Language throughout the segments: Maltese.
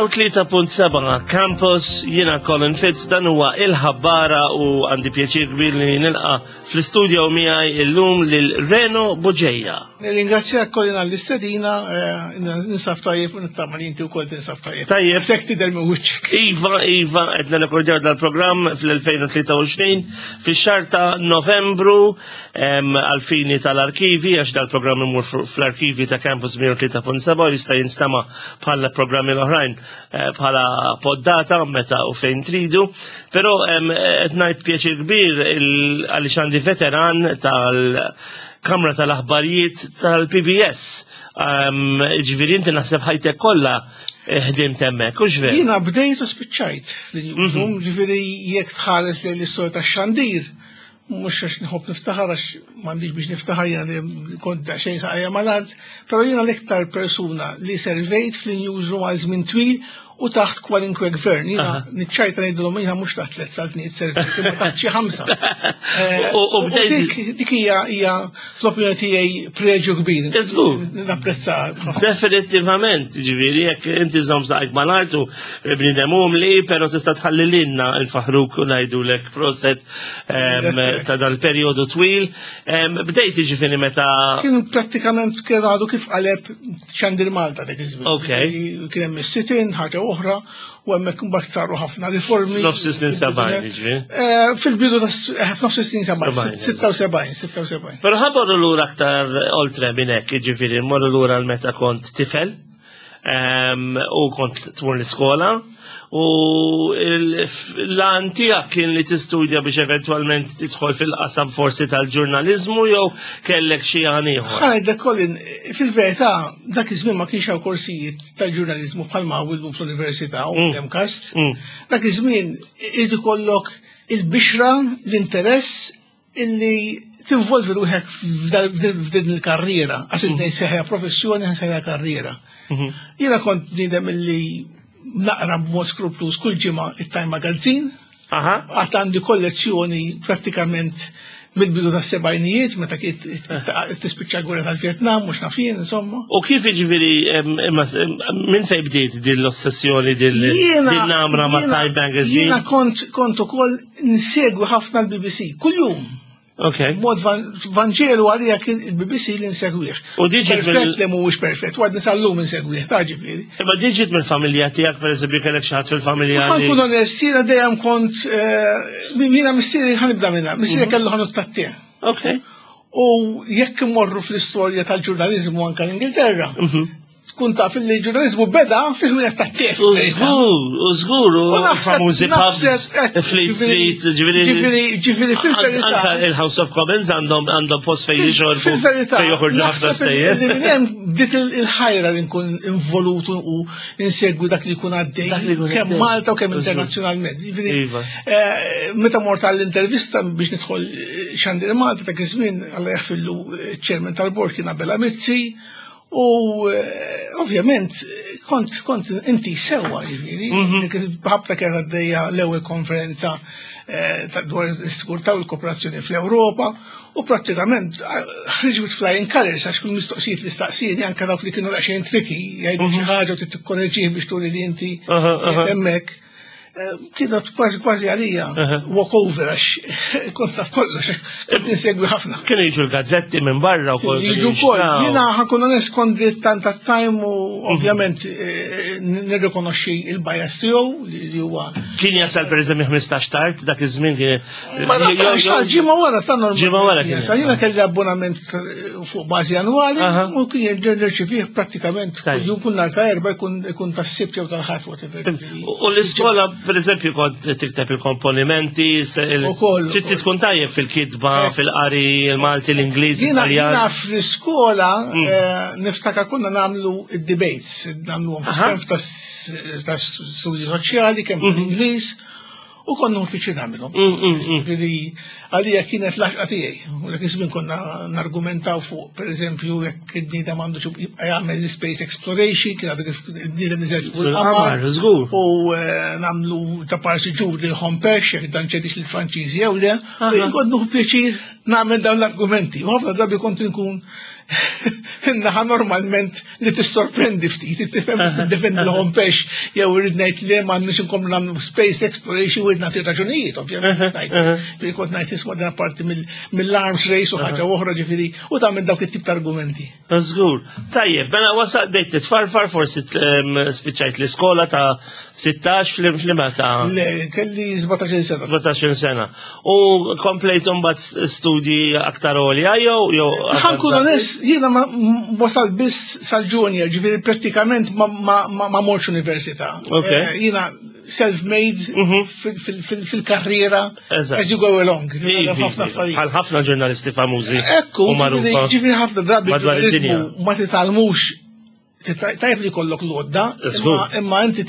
103.7 Campus, jiena Colin Fitz, dan huwa il-ħabbara u għandi pjaċir kbir li nilqa fl-istudio miegħi illum lil Reno Buġeja. Nirringrazzjak Colin għall-istedina, eh, ninsab tajjeb u nittama li inti wkoll tinsab tajjeb. Tajjeb. Sek tidher minn wiċċek. Iva, iva, qed nirrekordjaw dal-programm fl-2023 fix-xahar ta' Novembru għal-fini tal-arkivi, għax dal-programm imur fl-arkivi ta' Campus 103.7 jista' jinstama' bħala programmi l-oħrajn eh, bħala poddata meta u fejn tridu, però qed ngħid pjaċir kbir għaliex għandi veteran tal-Kamra tal-Aħbarijiet tal-PBS. Ġifieri inti naħseb ħajtek kollha eh, ħdimt hemmhekk, hux veru? Jiena bdejt u spiċċajt fl-newsroom, mhm. ġifieri jekk tħares lejn l-istorja tax-xandir, mhux għax nħobb niftaħar għax m'għandix biex niftaħar jiena li kont daqsxejn saqajja mal-art, però jiena l-iktar persuna li servejt fl-newsroom għal żmien twil u taħt kwalinkwe gvern. Jiena niċċajta ngħidilhom jiena mhux taħt tliet saltniet servejt, imma taħt xi ħamsa. Eh, u dik hija hija fl-opinjoni tiegħi preġu kbir. Żgur. Napprezza. Definittivament, ġifieri jekk inti żomm saqajk mal-art u bniedem umli, però tista' tħalli lilna nfaħruk u ngħidulek proset ta' dal-perjodu twil. Bdejt jiġifieri meta. Kien prattikament kien għadu kif qaleb xandir Malta dak iż-żmien. Ok. Kien hemm is-sitin, ħaġa oħra, u hemmhekk imbagħad saru ħafna riformi. F'nofs is-snin 70 jiġri. Eh, fil-bidu ta' eh, f'nofs is-snin 70, 76, 76. Però ħaborru lura aktar oltre minn hekk, jiġifieri mmorru lura l-meta kont tifel u kont tmur l-iskola u l-għan tiegħek kien li tistudja biex eventwalment tidħol fil-qasam forsi tal-ġurnaliżmu jew kellek xi għan ieħor. Ħajdek Colin, fil-verità dak iż-żmien ma kienx hawn korsijiet tal-ġurnaliżmu bħalma hawn illum fl-università u mm. l-MCAST. Mm. Dak iż-żmien irid ikollok il-bixra, l-interess illi tinvolvi ruħek f'din il-karriera, għax mm. id seħja professjoni, seħja karriera. Mhm. Jiena kont bniedem illi naqra b'mod skruplus kull ġimgħa it-Time Magazine, għad għandi kollezzjoni prattikament mill-bidu tas sebajnijiet, meta kien tispiċċa gwerra tal-Vietnam, mhux nafin, insomma. U kif jiġifieri minn fejn bdiet din l-ossessjoni din namra ma' Time Magazine? Jiena kont kont ukoll nsegwi ħafna l-BBC, kuljum. Ok. Mod Vanġelu għalija kien il-BBC li nsegwih. U diġi perfett li mhuwiex perfett, u għadni sal-lum insegwih, ta' ġifieri. Imma diġi mill-familja tiegħek pereżempju kellek xi ħadd fil-familja. Ħa nkun onest, jiena dejjem kont eh, jiena missieri ħanibda minnha, missieri mhm. kellu ħanut tat-tie. Ok. U jekk imorru fl-istorja tal-ġurnaliżmu anke l-Ingilterra, mhm. tkun taf li ġurnalizmu beda fi ħwienet ta' tef. U żgur, u żgur, u famużi pubs, Fleet Street, ġifieri. Ġifieri, ġifieri fil-verità. Anka il-House of Commons għandhom għandhom post fejn jixorbu. Fil-verità. Fejn joħorġu ħafna stejjer. Minn hemm bdiet il-ħajra li nkun involut u insegwi dak li jkun għaddej. Kemm Malta u kemm internazzjonalment. Ġifieri, iva. eh, meta mort għall-intervista biex nidħol eh, xandir Malta dak iż-żmien Alla jaħfillu eh, ċermen tal-bord kien Abela Mizzi U eh, ovvjament kont kont inti sewwa ġifieri, mhm. ħabta kienet għaddejja l-ewwel konferenza eh, dwar is-sigurtà u l-kooperazzjoni fl-Ewropa u prattikament eh, ħriġ with flying colors għax kull mistoqsijiet li staqsieni anke dawk li kienu daqsxejn tricky jgħidu xi mhm. ħaġa u tittikkoreġih biex turi li inti hemmhekk. Eh, kienet kważi kważi għalija walk over għax kont taf kollox, kont insegwi ħafna. Kienu jiġu l-gazzetti minn barra u kol. Jiġu kol, jiena ħakun onest kont dilettant tat-time u mhm. ovvjament eh, nirrikonoxxi il-bias tiegħu li huwa. Kien jasal pereżempju 15 tard dak iż-żmien kien. Ma nafx ġimgħa wara ta' normal. Ġimgħa wara kien. Jiena kelli abbonament fuq bażi annwali u kien nirċivih prattikament kuljum kull nhar ta' erba' jkun tas-sibt jew tal-ħadd whatever. U l-iskola, per eżempju, kont tikteb il-komponimenti, trid tkun tajjeb fil-kitba, eh. fil-qari, il-Malti, l-Ingliż, Jiena fl-iskola mm. eh, niftakar konna nagħmlu id-debates, nagħmlu kemm ta' studji soċjali, kemm mhm. Ingliż. U konna nfittxu nagħmilhom. Mm, mm, mm. Ġifieri għalija kienet l-għaxqa tiegħi. U dak iż-żmien konna nargumentaw fuq, pereżempju, jekk il-bniedem għandu jibqa' jagħmel l-space exploration, kien għadu kif il-bniedem niżel fuq il-qamar. Żgur. U eh, nagħmlu ta' parsi ġur li ħompex, jekk dan ċedix lill-Franċiżi jew le. U jien kont nieħu pjaċir nagħmel dawn l-argumenti. U ħafna drabi kont inkun naħa normalment li tissorprendi ftit, tifhem defendi l-hom pex jew irrid ngħid li ma nix inkomplu nagħmlu space exploration u nagħti raġunijiet, ovvjament. Ġifieri kont ngħid isma' dan parti mill-arms race u ħaġa oħra ġifieri u tagħmel dawk it-tip ta' argumenti. Żgur. Tajjeb, mela wasal bdejt titfarfar forsi spiċċajt l-iskola ta' 16 fl-imma ta' Le, kelli 17 sena. 17 sena. U komplejt imbagħad studji aktar għolja jew jew Ħankun onest, jiena ma wasal biss sal-junior, ġifieri prattikament ma morx università. Eh, jiena self-made mhm. fil-karriera as you go along. Bħal ħafna ġurnalisti famużi. Ekku, ġifieri ħafna drabi ġurnalizmu ma titgħallmux tajb li kollok l-odda, imma inti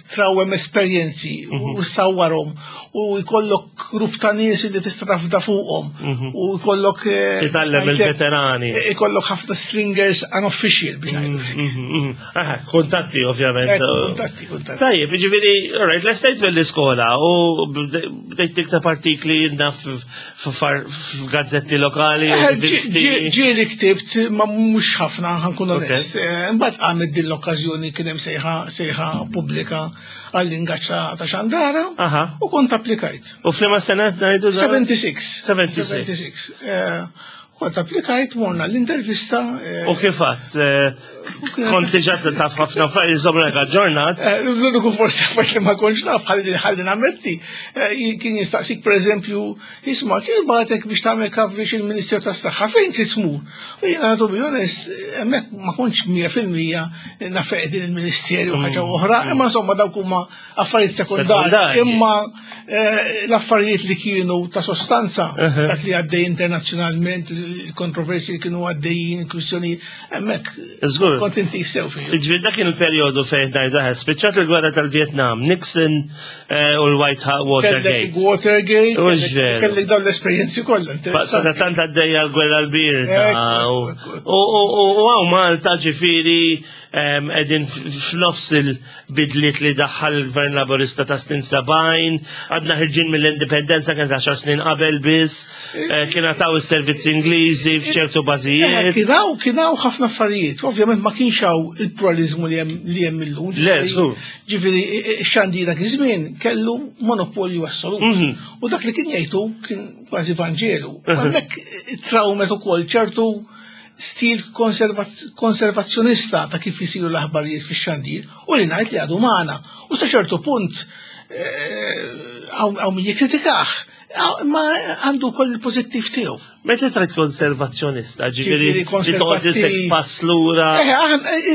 trawem esperjenzi mhm. u sawwarhom u jkollok grupp ta' nies li tista' tafda fuqhom mhm. u jkollok eh, titgħallem il-veterani. Eh, ikollok ħafna stringers unofficial biex ngħidu. Aha, kuntatti ovvjament. Eh, kuntatti, kuntatti. Tajjeb, ġifieri, right, l-estate mill-iskola u bdejt tikteb artikli naf f'gazzetti lokali. Eh, ġieli ktibt, ma mhux ħafna ħankun onest. Eh, mbagħad qamet din l-okkażjoni kien hemm sejħa sejħa pubblika għall-ingaġġ ta' xandara u kont applikajt. U f'liema sena ngħidu? 76. 76. Kont applikajt, morna l-intervista. U kif għadt? Kont diġà taf ħafna affarijiet żomm aġġornat. Eh, l-uniku forsi affarijiet li ma kontx naf ħalli ħalli nammetti. Eh, kien jistaqsik pereżempju, isma' kien bagħtek biex tagħmel coverage il-Ministeru tas-Saħħa fejn trid tmur? U jiena to be honest, hemmhekk ma kontx 100% naf din il-Ministeru ħaġa mm. oħra, imma insomma dawk huma affarijiet sekondarji, imma eh, l-affarijiet li kienu ta' sostanza, dak li għaddej internazzjonalment, il-kontroversi li kienu għaddejjin, il-kwistjoni, hemmhekk. Żgur. Kont inti sew fih. Ġifieri dak kien il-perjodu fejn ngħidu eh, spiċċat il-gwerra tal-Vjetnam, Nixon eh, u l-White Watergate. Watergate, kellek dawn l-esperjenzi kollha. Sa tant għaddejja l-gwerra l-birda. U għaw Malta ġifieri Qegħdin f'nofs il-bidliet li daħħal il-Gvern Laburista ta' snin 70, għadna ħirġin mill-indipendenza kien 10 snin qabel biss, eh, kien għataw is-servizzi Ingliżi f'ċertu bażijiet. Eh, kienaw kienaw ħafna affarijiet, ovvjament ma kienx hawn il-pluralizmu li hemm illum. Le, żgur. Ġifieri xandi dak iż-żmien kellu monopolju assolut. Mhm. U dak li kien jgħidu kien kważi Vanġelu. Hemmhekk trawmet ukoll ċertu stil konservazzjonista ta' kif jisiru l-aħbarijiet fix-xandir u li ngħid li għadu magħna. U sa ċertu punt eh, hawn min jikkritikah, ma għandu koll il-pożittiv tiegħu. Meta tgħid konservazzjonista, ġifieri li toqgħod pass lura. Eh,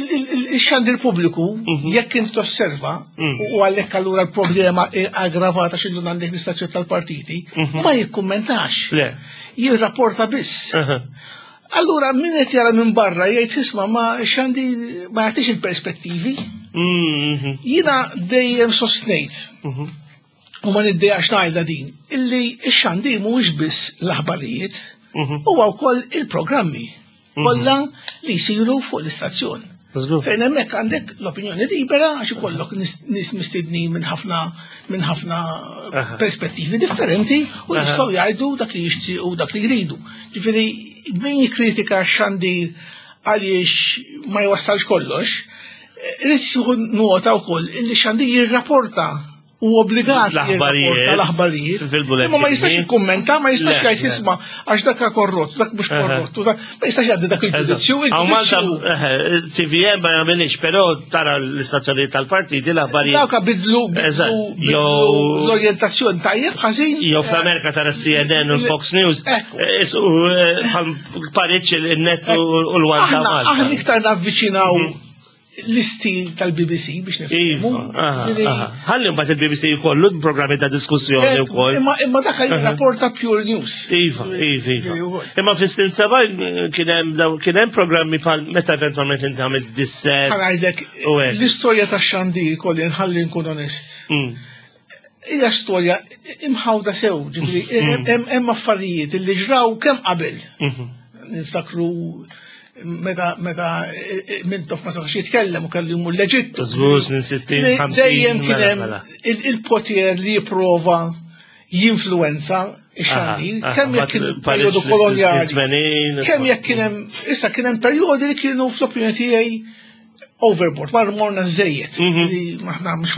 il-xandir pubbliku, mhm. jekk int tosserva, mm. u għalhekk allura l-problema aggravata xillu għandek l-istazzjon tal-partiti, mhm. ma jikkummentax. Jirrapporta biss. Allura min qed jara minn barra jgħid isma' ma xandi ma jagħtix il-perspettivi. Mm-hmm. Jiena dejjem sostnejt mm-hmm. u ma niddejjax ngħidha din illi x-xandi mhuwiex biss l-aħbarijiet, mm-hmm. huwa wkoll il-programmi kollha li jsiru fuq l-istazzjon. Fejn hemmhekk għandek l-opinjoni libera għax ikollok nies mistednin minn ħafna minn ħafna perspettivi differenti u jistgħu jgħidu dak li jixtiequ dak li jridu. Ġifieri min jikkritika x-xandir għaliex ma jwassalx kollox, irid jieħu nota wkoll li xandir jirrapporta u obbligat l-aħbarijiet. L-aħbarijiet. Imma ma jistax jikkummenta, ma jistax jgħid isma' għax dak korrott, dak mhux korrott, ma jistax jgħaddi dak il-ġudizzju. Għaw Malta TVM ma jagħmilx, però tara l-istazzjonijiet tal-partiti l-aħbarijiet. Dawk bidlu l-orjentazzjoni tajjeb ħażin. Jew fl-Amerika tara CNN u l-Fox News. Bħal pariċ il-net u l-One Aħna iktar navviċinaw mhm. l-istil tal-BBC biex nifhmu. Iva, Ħalli mbagħad il-BBC jkollu programmi ta' diskussjoni eh, wkoll. Imma imma dak jirrapporta pure news. Iva, iva, iva. Imma fis-snin seba' kien hemm kien hemm programmi bħal meta eventwalment inti għamilt disset. Ħanajdlek l-istorja tax-xandir kolli nħalli nkun onest. Hija storja imħawda sew, ġifieri mm. hemm affarijiet li ġraw kemm qabel. Mhm. Niftakru meta meta e, e, Mintoff ma setax jitkellem u kellu jmur l-Eġittu. Żgur snin 60, Dejjem kien hemm mela. il-poter li jipprova jinfluenza ix-xandir, kemm jekk kien perjodu kolonjali, kemm jekk kien hemm issa kien hemm perjodi li kienu fl-opinjoni tiegħi overboard, mar morna żejjed. Mhm.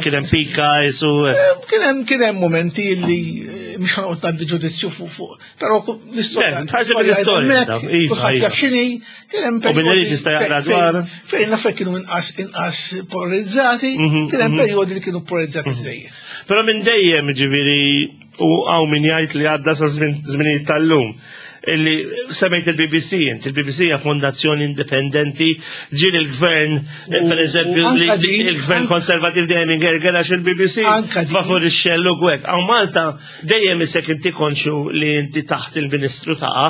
Kien hemm pika jisu. Eh, kien hemm kien hemm momenti li eh, mhux ħanoqgħod ngħaddi ġudizzju fuq fuq, però l-istorja. Ħaġa mill-istorja. Iva, kulħadd jaf x'inhi, kien hemm perjodi. jista' jaqra dwar. Fejn l-affarijiet kienu inqas inqas polarizzati, mhm, kien hemm mhm. perjodi li kienu polarizzati żejjed. Però minn dejjem ġifieri u hawn min jgħid li għadda sa żminijiet tal-lum illi semmejt il-BBC, inti il-BBC hija fondazzjoni indipendenti, ġieli il-gvern, per eżempju, il-gvern konservativ dejjem ingerger għax il-BBC favur ix-xellu gwek. Għaw Malta dejjem isek inti konxu li inti taħt il-ministru taqa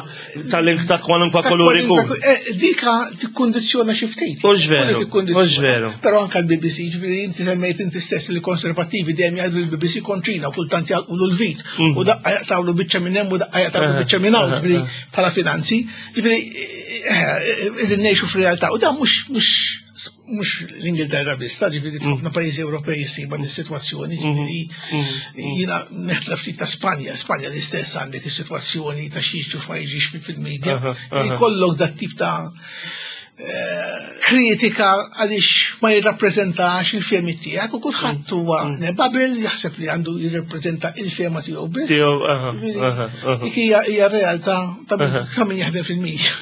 tal-link ta' kwalunkwa kulur ikun. Eh, dika tikkondizzjona xi ftit. Mhux veru. Mhux veru. Però anke l-BBC, ġifieri inti semmejt inti stess li konservattivi dejjem jgħidu l-BBC kontrina u kultant jgħalqulu l-vit mhm. u daqqa jaqtawlu biċċa minn hemm u daqqa jaqtawlu eh, biċċa minn hawn, eh, ġifieri eh. bħala finanzi, ġifieri qegħdin ngħixu f'realtà u dan mhux mhux mhux l-Ingilterra biss, ta' ġifieri mm. f'ħafna pajjiżi Ewropej issibha dis-sitwazzjoni, mm-hmm. ġifieri mm-hmm. jiena neħtla ftit ta' Spanja, Spanja l-istess għandek is-sitwazzjoni ta' xi ma jiġix fil-medja. Jkollok dat tip ta' eh, kritika għaliex ma jirrappreżentax il-femi tiegħek u kulħadd mm. huwa mm. nebabil jaħseb li għandu jirrappreżenta il-fema tiegħu biss. Dik hija realtà ta' min jaħdem fil-medja.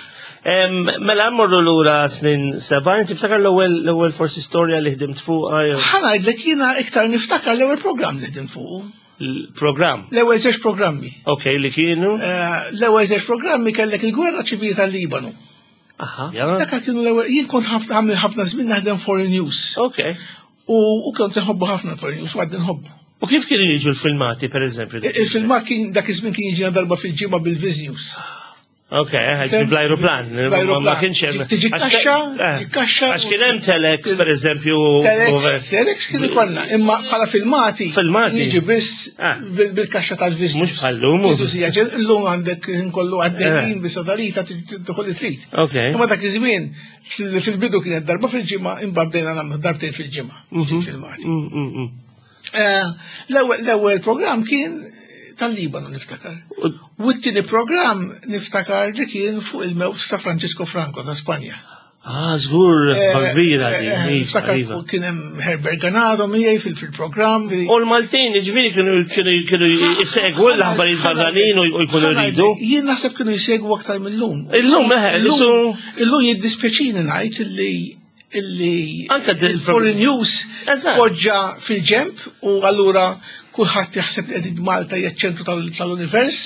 Mela mmorru lura snin 70, tiftakar l-ewwel l-ewwel forsi storja li ħdimt fuqha jew Ħa ngħidlek jiena iktar niftakar l-ewwel programm li ħdimt fuqu. l-programm. L-ewwel żewġ programmi. Ok, li kienu. Eh, L-ewwel żewġ programmi kellek il-gwerra ċivili tal-Libanu. Aha. Dak kienu l-ewwel jien kont ħafna għamil ħafna żmien naħdem foreign news. Ok. U u kont nħobbu ħafna foreign news u għadni nħobbu. U kif kienu jiġu l-filmati, per eżempju? Il-filmat kien dak iż-żmien kien jiġina darba fil-ġimgħa bil-Viz News. Ok, ħed bl-aeroplan. Ma kienx hemm. Tiġi kaxxa, eh, kaxxa. Għax kien hemm telex, per eżempju. Telex, telex kien ikollna, imma bħala filmati. Filmati. Jiġi biss eh. bil-kaxxa tal-viżi. Mhux bħallum. Illum għandek kollu għaddejjin eh. bis-satellita tidħol li trid. Ok. Imma dak iż-żmien fil-bidu kienet darba fil-ġimgħa, imbagħad bdejna nagħmlu darbtejn fil-ġimgħa. Mhm. Filmati. Mm, mm, mm. Eh, l-ewwel programm kien tal-Libanu niftakar. U t-tieni programm niftakar li kien fuq il-mewt ta' Francisco Franco ta' Spanja. Ah, żgur, eh, kbira di. Eh, iva, niftakar iva. kien hemm Herbert Ganado miegħi fil-programm. U l-Maltin, ġifieri kienu kienu kienu jsegwu l-aħbarijiet barranin u jkunu jridu. Jien naħseb kienu jsegwu aktar mill-lum. Illum, eħe, illum jiddispjaċini ngħid illi illi Anka il-foreign news poġġa fil-ġemp u allura kulħadd jaħseb li qegħdin Malta hija ċ-ċentru tal-univers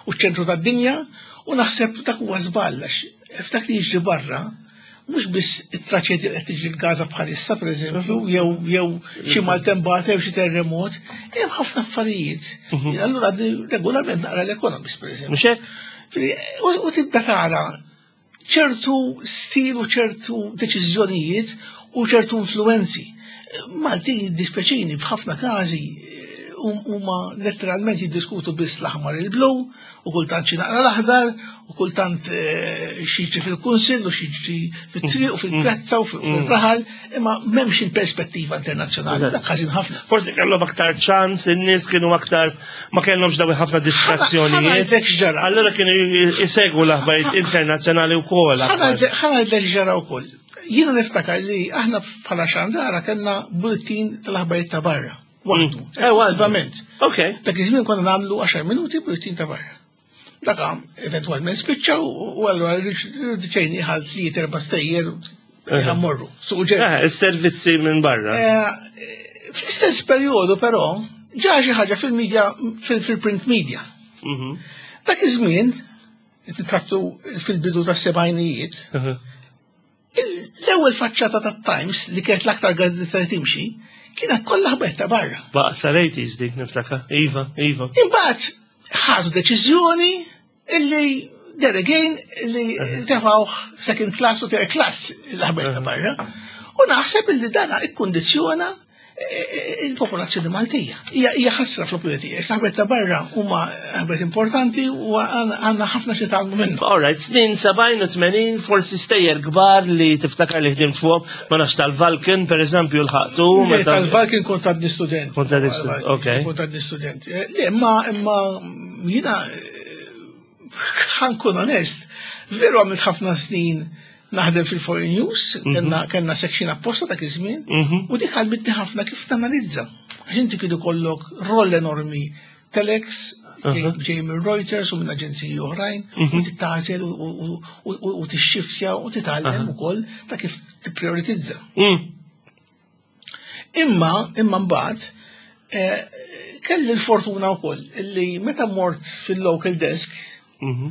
u ċ-ċentru tad-dinja u naħseb dak huwa żball għax f'dak li jiġri barra mhux biss it-traċedja li qed tiġri f'Gaza bħalissa pereżempju mhm. jew jew xi mhm. maltembata jew xi terremot, hemm ħafna affarijiet. Mhm. Allura regolarment naqra l-Economist pereżempju. Mhux hekk? U tibda tara ċertu stil u ċertu deċiżjonijiet u ċertu influenzi. Malti jiddispjaċini f'ħafna każi huma letteralment jiddiskutu biss l-aħmar il-blu u kultant xi naqra l-aħdar u kultant eh, xiġri fil-kunsill u xiġri fit-triq u fil-pjazza u fil-raħal imma m'hemmx il-perspettiva internazzjonali dak ħażin ħafna. Forsi kellhom aktar ċans, in-nies kienu aktar ma kellhomx dawn ħafna distrazzjonijiet. Allura kienu jsegwu l-aħbarijiet internazzjonali wkoll. Ħa ngħidlek ġara wkoll. Jiena niftakar li aħna bħala xandara kellna bulletin tal-aħbarijiet ta' barra. Waħdu. Mm. Eh, Ovvjament. Ok. Dak iż-żmien konna nagħmlu 10 minuti bulletin ta' barra. Dak eventwalment spiċċa u allura riduċejni ħal tliet erba' stejjer morru. Suq ġej. Eh, is-servizzi minn barra. Eh, fl-istess perjodu però ġa xi ħaġa fil-media fil-print media. Mhm. Dak iż-żmien, trattu fil-bidu tas-sebgħinijiet, mhm. L-ewwel faċċata tat-Times li kienet l-aktar gazzetta li timxi, kienet kollha ħbet ta' barra. Baqa sal-80s dik niftakar. Iva, iva. Imbagħad ħadu deċiżjoni illi there again li tefgħu second class u third class l-ħbet ta' barra. U naħseb illi dana ikkundizzjona. il-popolazzjoni Maltija. Hija ħasra fl-opinjoni tiegħek, l-aħbarijiet ta' barra huma aħbarijiet importanti u għandna ħafna xi tgħallmu minnhom. All right, snin 70 u 80 forsi stejjer kbar li tiftakar li ħdimt fuq, ma nafx tal-Valken per eżempju l-ħaqtu. Tal-Valken kont għadni student. Kont għadni student, ok. Kont għadni student. Eh, le, ma imma jiena ħankun onest, veru għamilt ħafna snin naħdem fil-Foreign News, mhm. kellna section apposta dak iż-żmien, mhm. u dik għalmitni ħafna kif tanalizza. Għax inti kienu kollok roll enormi telex, ġej minn Reuters u minn aġenziji oħrajn, u mhm. titgħażel u tixxiftja u titgħallem ukoll ta' kif tipprioritizza. Mm. Imma, imma mbagħad, eh, kelli l-fortuna wkoll li meta mort fil-local desk, mhm.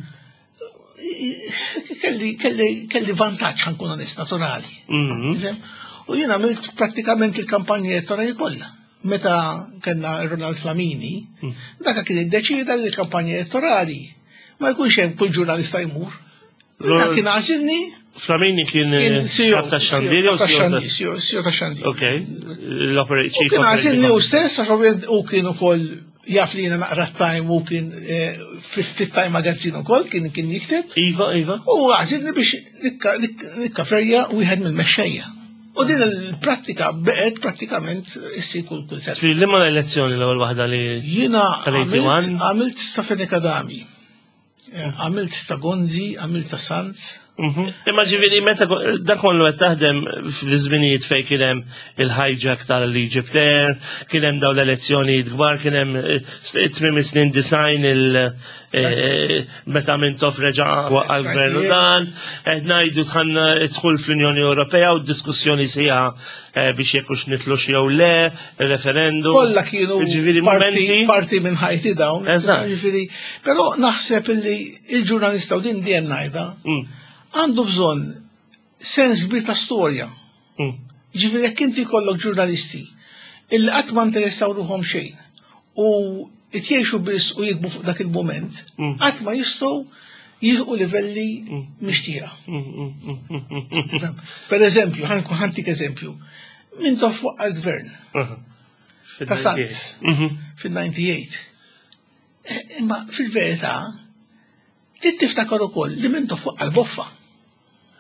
kelli, kelli, kelli vantaġġ ħankun onest naturali. Mhm. U jien għamilt prattikament il-kampanja elettorali kollha. Meta kellna Ronald Flamini, mm. daka kien iddeċida li l-kampanja elettorali ma jkunx hemm kull ġurnalista jmur. Dak kien għażilni. Flamini kien eh, kap ta' xandir jew CEO ta' xandir. Ok, l-operate Kien għażilni u stess għax u kien ukoll jaf li jiena naqra Time u kien eh, fit-Time Magazine ukoll kien kien jikteb. Iva, iva. U għażilni biex nikkaferja wieħed mill-mexxejja. U din il-prattika beqgħet prattikament issir kull kull sena. Ġifieri liema elezzjoni l-ewwel waħda li Jiena għamilt sa Fenech Adami. Għamilt ta' Gonzi, għamilt ta' Sant. Mhm. Imma ġifieri meta dak kollu qed taħdem fl-żminijiet fejn kien hemm il-hijack tal-Egypt Air, kien hemm dawn l-elezzjonijiet kbar, kien hemm eh, tmiem is-snin design il eh, eh, meta Mintoff reġa' waqqa' l-gvern u dan, qed ngħidu tħanna dħul fl-Unjoni Ewropea u d-diskussjoni sejha biex jekk hux nitlux jew le, referendum. Kollha kienu Ġifieri parti, momenti. parti minn ħajti dawn. Eżatt. Ġifieri, però naħseb illi il-ġurnalista u din dejjem ngħidha Mm, għandu bżonn sens kbir ta' storja. Ġifieri jekk inti jkollok ġurnalisti illi qatt ma interessaw ruħhom xejn u jgħixu biss u jikbu fuq dak il-moment, qatt ma jistgħu jilqu livelli mixtieqa. Per eżempju, ħanku ħantik eżempju, Mintoff fuq għal-gvern ta' Sant fil-98. Eh, imma fil-verità, trid tiftakar ukoll li Mintoff fuq għal-boffa.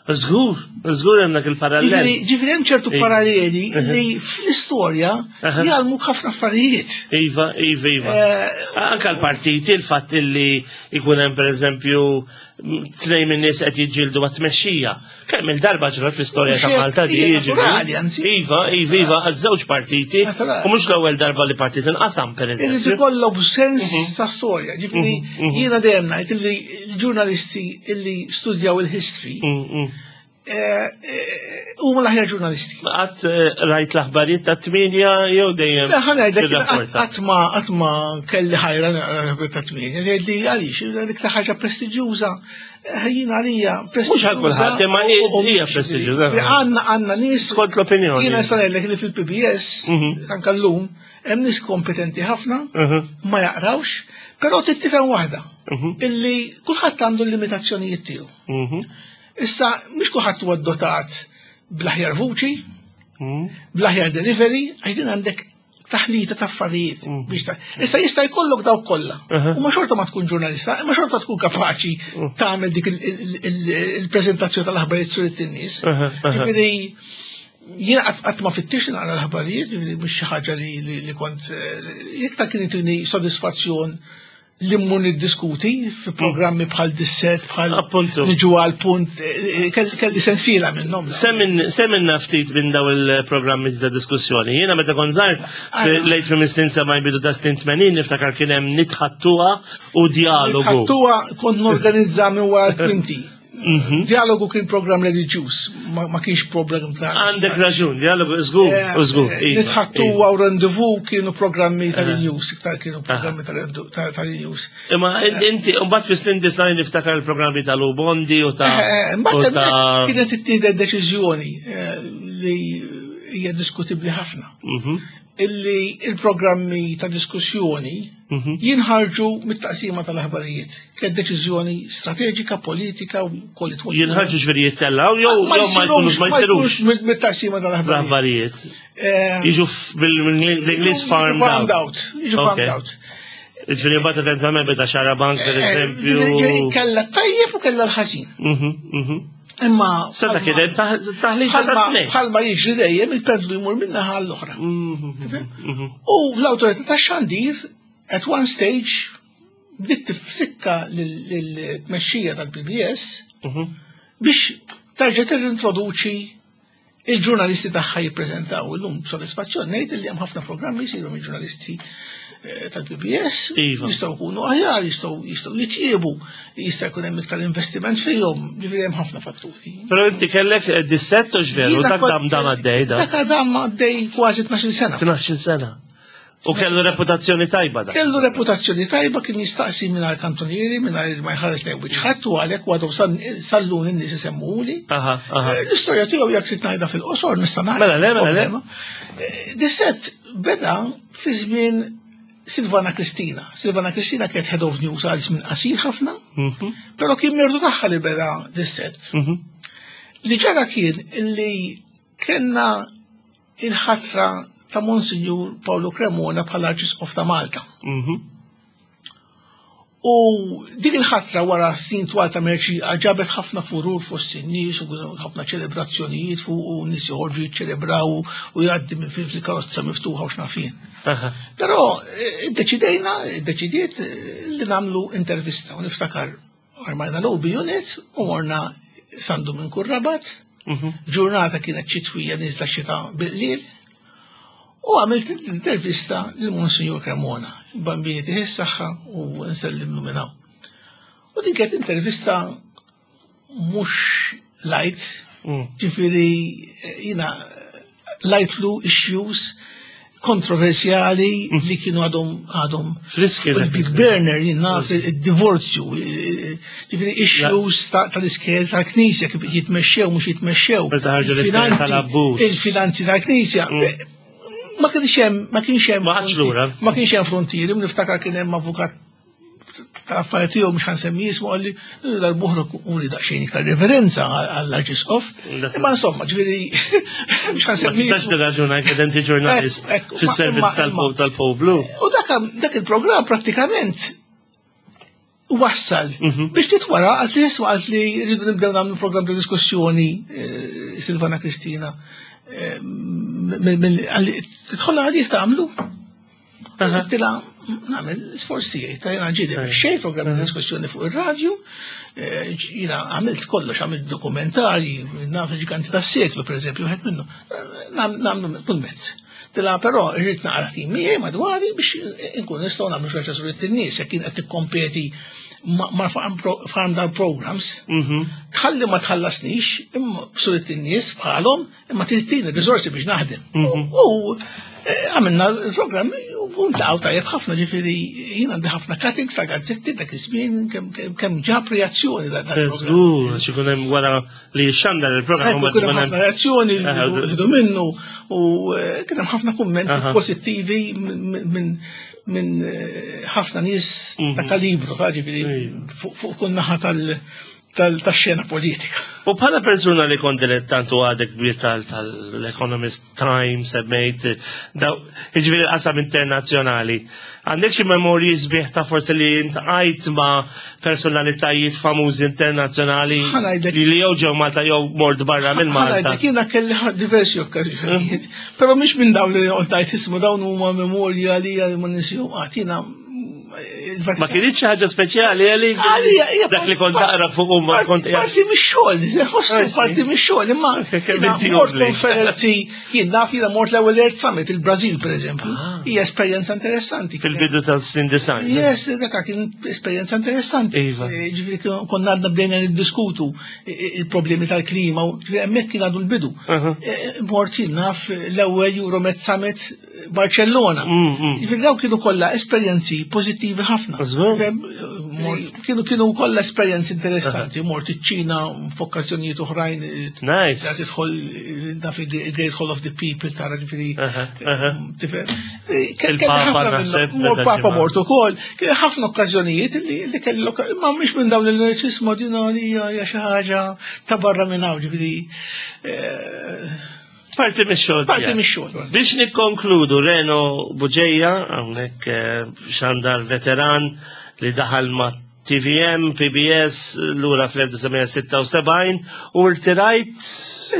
Żgur, żgur hemm dak il-parallel. Ġifieri hemm ċertu paralleli li fl-istorja jgħallmuk ħafna affarijiet. Iva, iva, iva. Eh, Anka l-partiti, il-fatt li jkun hemm pereżempju tnej minn nies qed jiġġieldu għat-tmexxija. Kemm il-darba ġrat fl-istorja ta' Malta di jiġri. Iva, iva, iva, għaż-żewġ partiti. U mhux l-ewwel darba li partit inqasam pereżempju. Irid ikollok sens mhm. ta' storja. Ġifieri mhm, mhm. jiena dejjem ngħid li l-ġurnalisti illi studjaw il-history mm, mm. Eh, eh, huma l-aħjar ġurnalisti. Qatt eh, rajt l-aħbarijiet ta' tminja jew dejjem. Le ħa ngħidlek qatt ma qatt ma kelli ħajra naqra l-aħbarijiet ta' tminja, li għaliex l-iktar ħaġa prestiġjuża jien għalija prestiġjuża. Mhux għal kulħadd imma hija prestiġjuża. Għandna għandna nies. Skont l-opinjoni. Jiena nista' ngħidlek li fil-PBS mhm. anke llum hemm nies kompetenti ħafna, mhm. ma jaqrawx, però trid tifhem waħda, mhm. illi kulħadd għandu l-limitazzjonijiet tiegħu. Mhm. Issa mhux kulħadd huwa dotat bl-aħjar vuċi, bl-aħjar delivery, għax din għandek taħlita ta' affarijiet mm. biex ta' Issa jista' jkollok dawk kollha. U ma xorta ma tkun ġurnalista, imma xorta tkun kapaċi tagħmel dik il-preżentazzjoni tal-aħbarijiet sur it-nies. Ġifieri Jien qatt ma fittix naqra l-aħbarijiet, mhux xi ħaġa li kont eh, iktar kien itini sodisfazzjon li mmur niddiskuti fi programmi bħal disset, bħal niġu għal punt, eh, eh, kelli sensiela minnhom. Semminna ftit minn daw il-programmi ta' diskussjoni. Jiena meta kont żgħar lejt minn snin sema jbidu ta' snin 80 niftakar kien hemm nitħattuha u dialogu. Nitħattuha kont norganizza minn wara l-kwinti. Mhm. Dialogu kien program reliġjuż, ma kienx program ta' Għandek raġun, dialogu żgur, eh, żgur. Eh, iva, Nitħattu iva. għaw rendezvous kienu programmi tal-news, iktar kienu programmi tal-news. Imma inti, mbagħad fis-snin design niftakar il-programmi tal-Ubondi u ta' eh, Mbagħad kienet ittieħdet deċiżjoni li hija diskutibbli ħafna. Mhm. Illi il-programmi ta' diskussjoni. Jinħarġu mit-taqsima tal-aħbarijiet. Kienet deċiżjoni strateġika, politika u kollit. Jinħarġu ġifieri jittellaw jew ma jkunux ma jsirux mit-taqsima tal-aħbarijiet. Jiġu bil-Ingliż farmed out. Jiġu farmed out. Ġifieri mbagħad eventwalment beda xarabank per eh, eżempju. Kella tajjeb u kella l-ħażin. Imma. Seta kien hemm taħlita bħalma jiġri dejjem il-pendlu jmur minna ħal l-oħra. U l-awtorità tax-xandir at one stage bdiet tifsikka l-tmexxija tal-PBS biex terġa' tirrintroduċi il-ġurnalisti tagħha jippreżentaw illum b'sodisfazzjon ngħid li hemm ħafna programmi jsiru mill-ġurnalisti eh, tal-PBS, iva. jistgħu jkunu aħjar, jistgħu jistgħu jitjiebu, jista' jkun hemm iktar investiment fihom, ġifieri hemm ħafna fatturi. Però inti kellek eh, dissett u x'veru, dak dam dam għaddej da. Dak dam għaddej kważi 12 sena. 12 sena. U kellu reputazzjoni tajba da. Kellu reputazzjoni tajba kien jistaqsi mingħajr kantonieri, mingħajr ma jħares lejn wiċċ ħadd u għalhekk għadu sallun in-nies isemmuli. Eh, l-istorja tiegħu jekk trid ngħidha fil-qosor nista' ngħid. Mela le, mela le. Eh, Disset beda fi żmien Silvana Kristina. Silvana Kristina kienet head of news għal żmien qasir ħafna, però kien merdu tagħha li beda disset. Li ġara kien li kellna il-ħatra ta' Monsinjur Paolo Cremona bħala Arċisqof ta' Malta. U dik il-ħatra wara snin twal ta' merċi ġabet ħafna furur fost in-nies u ħafna ċelebrazzjonijiet fuq u nies joħorġu jiċċelebraw u jgħaddi minn fin fil-karozza miftuħa u x'nafien. Però eh, iddeċidejna, iddeċidiet eh, li nagħmlu intervista u niftakar Armajna l-OB unit u morna sandu minn kurrabat. Ġurnata kienet ċitwija nizla xita bil-lil. U għamilt intervista lil Monsignor Cremona, il-bambini tiħi s-saħħa u nsellimlu minn hawn. U din kienet intervista mhux light, ġifieri jina lajtlu issues kontroversjali li kienu għadhom għadhom Friski il-big burner jien naf il-divorzju ġifieri issues tal-iskel tal-knisja kif jitmexxew mhux jitmexxew. Il-finanzi tal-knisja. Ma kienx hemm ma kienx hemm ma kienx hemm frontieri, niftakar kien hemm avukat tal-affarijiet tiegħu mhux ħansemmi jismu qalli darb'oħra uri daqsxejn iktar reverenza għall-Arċisqof. Imma insomma, ġifieri mhux ħansemmi. Ma tistax tirraġuna jekk inti ġurnalist fis-servizz tal-poplu. U dak il-programm prattikament wassal mhm. biex ftit wara għalt li jiswa għalt li rridu nibdew nagħmlu programm ta' diskussjoni eh, Silvana Kristina. Eh, tidħol għalih tagħmlu. Għedtilha nagħmel sforz tiegħi ta' jiena ġieli xejn programm ta' diskussjoni fuq ir-radju, eh, jiena għamilt kollox, għamilt dokumentarji, naf il-ġiganti tas-seklu pereżempju, wieħed minnu, nagħmlu kull mezz. Tila però irrid naqra tim miegħi madwari biex inkun nistgħu nagħmlu xi ħaġa surid in-nies jekk kien qed tikkompeti ma' farm down programs. Mhm. Tħalli ma tħallasnix, imma surid in-nies bħalhom Imma tini risorsi biex naħdem. Mhm. U eh, għamilna l-programmi u ntlaqgħu tajjeb ħafna ġifieri jien għandi ħafna cuttings ta' gazzetti dak iż-żmien kemm ġab reazzjoni da dak. Żgur, xi hemm wara li xandar il-programm. Kien hemm ħafna reazzjoni ħdu minnu u eh, kien hemm ħafna kummenti pożittivi minn minn eh, ħafna nies ta' mhm. kalibru, ġifieri fuq kull naħa tal- tax-xena politika. U bħala persuna li kont dilettant u għadek kbir tal-Economist Times, semmejt, jiġifieri l-qasam internazzjonali, għandek xi memorji sbieħ ta' forsi li intqajt ma' personalitajiet famużi internazzjonali li jew ġew Malta jew mort barra minn Malta. Ħanajdek jiena kelli diversi okkażjonijiet, però mhix minn dawn li qed ismu dawn huma memorji għalija li ma ninsihom qatt jiena Ma kienx xi ħaġa speċjali għalik? Dak li kont taqra fuq u ma kont Parti mix-xogħol, ħossu parti mix-xogħol, imma mort konferenzi, jien naf jiena mort l-ewwel Earth Summit il-Brażil pereżempju. Ah. Hija esperjenza interessanti. Fil-bidu tal-snin design. Yes, dak kien esperjenza interessanti. Iva. Eh, ġifieri konna għadna bdejna niddiskutu il-problemi tal-klima, hemmhekk kien għadu l-bidu. Eh, mort jien naf l-ewwel Euromed Summit Barcellona. Ġifieri dawk kienu kollha esperjenzi pożittivi. pożittivi ħafna. Kienu kienu kollha esperjenzi interessanti, mort iċ-Ċina f'okkażjonijiet oħrajn. Nice. Tidħol naf il-Great Hall of the People tara ġifieri. Tifhem. Il-Papa naħseb. Mort Papa mort ukoll. Kien ħafna okkażjonijiet li kelli imma mhix minn dawn il-narċismu din hija xi ħaġa ta' barra minn hawn ġifieri. Eh, Parti mix-xogħol. Parti mix-xogħol. Biex nikkonkludu Reno Buġeja, hawnhekk eh, xandar veteran li daħal ma' TVM, PBS, lura fl-1976 u rtirajt.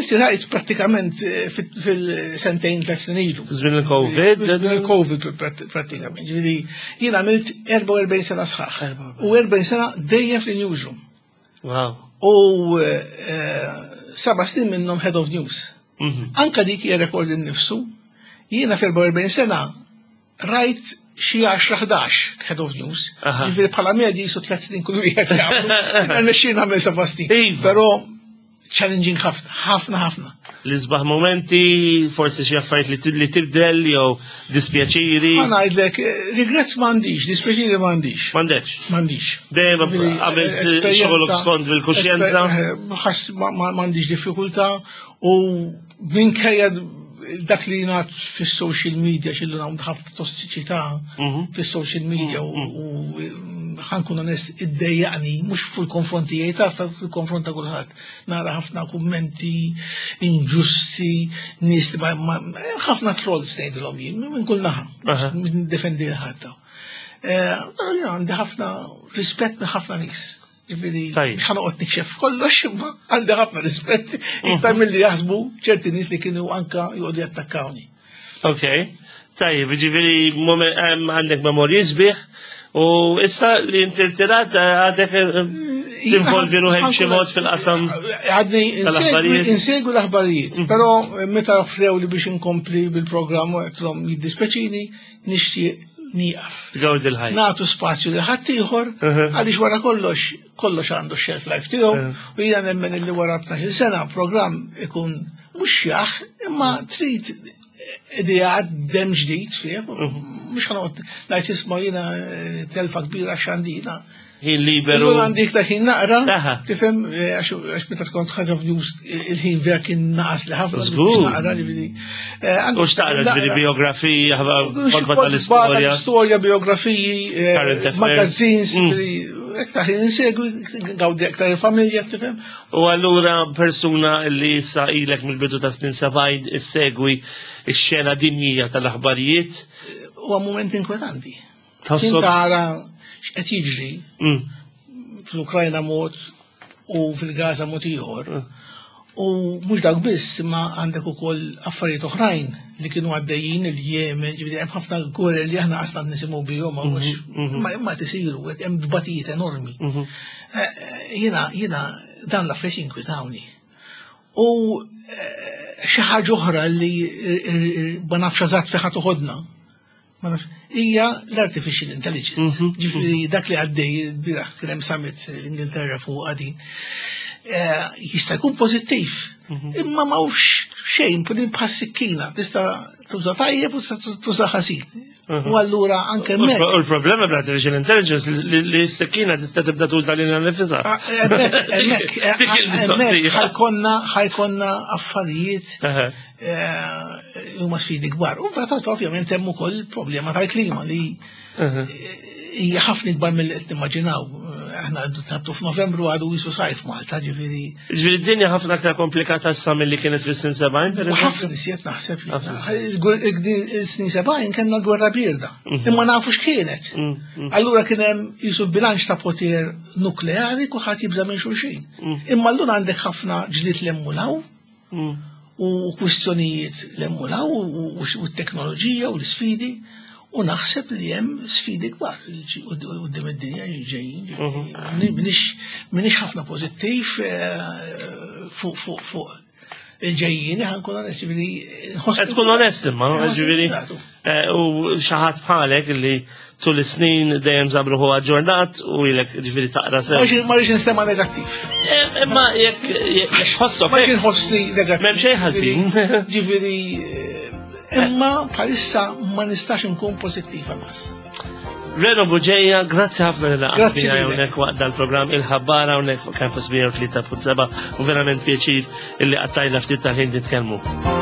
Rtirajt pratikament eh, fil-sentejn ta' snin ilu. Żmien il-Covid? Żmien il-Covid pratikament. Ġifieri jien għamilt 44 sena sħaħ. U 40 sena dejjem fil-newsroom. Wow. U eh, seba' snin minnhom head of news. Mhm. Anka dik hija rekord innifsu. Jiena f'44 sena rajt xi 10-11 head of news. Ġifieri bħala medji jisu tliet snin kull wieħed jagħmlu. Nexxi nagħmel seba' snin. Iva. Però challenging ħafna, ħafna, ħafna. L-isbaħ momenti, forsi xi affarijiet li tibdel jew dispjaċiri. Ma ngħidlek, eh, regrets m'għandix, dispjaċiri m'għandix. M'għandekx. M'għandix. Dejjem għamilt eh, xogħolok skont bil-kuxjenza. Eh, m'għandix diffikultà u minkejja dak li jingħad fis-social media xillu hawn ħafna tossiċità mhm. fis-social media u mhm. ħankun onest iddejjaqni mhux fil-konfront tiegħi taf fil-konfront ta' kulħadd. Nara ħafna kummenti inġusti, nies li ħafna trolls ngħidilhom jien minn kull naħa, minn defendi l-ħadd. Eh, però jien għandi ħafna rispett minn ħafna nies. Ġifieri, ħanoqgħod nikxef kollox, imma għandi ħafna rispett iktar mhm. milli jaħsbu ċerti nies li kienu anka joqogħdu jattakkawni. Ok, tajjeb, ġifieri għandek memorji sbieħ u issa li inti rtirat eh, għadek eh, tinvolvi ruħek b'xi mod fil-qasam. Għadni insegwi l-aħbarijiet, mhm. però meta offrew li biex inkompli bil-programm u għedtlhom jiddispeċini, nixtieq nieqaf. Tgawdi l-ħajja. Nagħtu spazju li ħaddieħor għaliex wara kollox kollox għandu shelf life tiegħu u jiena nemmen illi wara 12 sena programm ikun mhux jaħ imma trid idea dem ġdid fih, mhux ħanoqgħod ngħid isma' jiena eh, telfa kbira x'għandina. Ħin liberu. Illum għandi iktar ħin naqra, tifhem eh, għax meta tkun ħaġa f'news eh, il-ħin vera kien naqas li ħafna. Żgur. Naqra ġifieri. Eh, U xtaqra ġifieri biografiji, kotba tal-istorja. Storja, biografiji, magazines, mm. iktar ħin insegwi, gawdi aktar il-familja, tifhem. U allura persuna li issa ilek mill-bidu ta' snin 70 issegwi x-xena dinjija tal-aħbarijiet. Huwa moment inkwetanti. Kien tara x'qed jiġri mm. fl-Ukrajna mod u fil-Gaza mod ieħor. Mm. U mhux dak biss, imma għandek ukoll affarijiet oħrajn li kienu għaddejjin il-Jemen, ġifieri hemm ħafna gwerer li aħna qasna nisimgħu bihom ma mhux mhm, mhm. imma tisiru hemm tbatijiet enormi. Mhm. Eh, eh, jiena jiena dan l-affarijiet jinkwitawni. U eh, xi ħaġa oħra li ma nafx eżatt fejn ħa toħodna hija l-artificial intelligence. Mhm. Ġifieri mhm. dak li għaddej bieraħ kien hemm summit l-Ingilterra fuq għadin. Eh, jista' jkun pożittiv, mhm. imma m'hawnx xejn bħal sikkina, tista' tuża tajjeb u tuża ħażin. U allura anke hemmhekk. U l-problema bl-artificial intelligence li s-sikkina tista' tibda tuża lilha nifisha. Ah, hemmhekk hemmhekk ħajkonna ħajkonna affarijiet Eh, huma sfidi kbar. U mbagħad ovvjament hemm ukoll problema tal-klima li hija ħafna ikbar mill qed nimmaġinaw. Aħna għandu tabtu f'Novembru għadu jisu sajf Malta, ġifieri. Ġifieri d-dinja ħafna aktar komplikata issa milli kienet fis-snin 70. Ħafna iżjed naħseb. Il-snin 70 kellna gwerra birda. Mhm. Imma nafu x'kienet. Mhm. Mhm. Allura kien hemm jisu bilanċ ta' poter nukleari kulħadd jibża' minn xulxin. Imma allura għandek ħafna ġlied l-emmulaw u kwistjonijiet l-emmulaw u t-teknoloġija u l-sfidi u naħseb li hemm sfidi kbar quddiem id-dinja ġejjin. Mhm. Minix ħafna pożittiv eh, fuq fuq fuq il-ġejjini ħankun onest, ġifieri. Tkun onest imma, ġifieri. Eh, u xi ħadd bħalek li tul is-snin dejjem żabruħu aġġornat u ilek ġifieri taqra sew. Ma rridx nistema negattiv. Eh, imma jekk ħossok. Ma rridx nħossni negattiv. M'hemm xejn ħażin. Ġifieri eh, imma bħalissa ma nistax inkun pożittiva mas. Reno Buġeja, grazzi ħafna li laqgħet Grazzi miegħi lilek. hawnhekk waqt dal-programm il-ħabbara hawnhekk fuq Campus 103.7 u verament pjaċir illi qattajna ftit tal-ħin nitkellmu.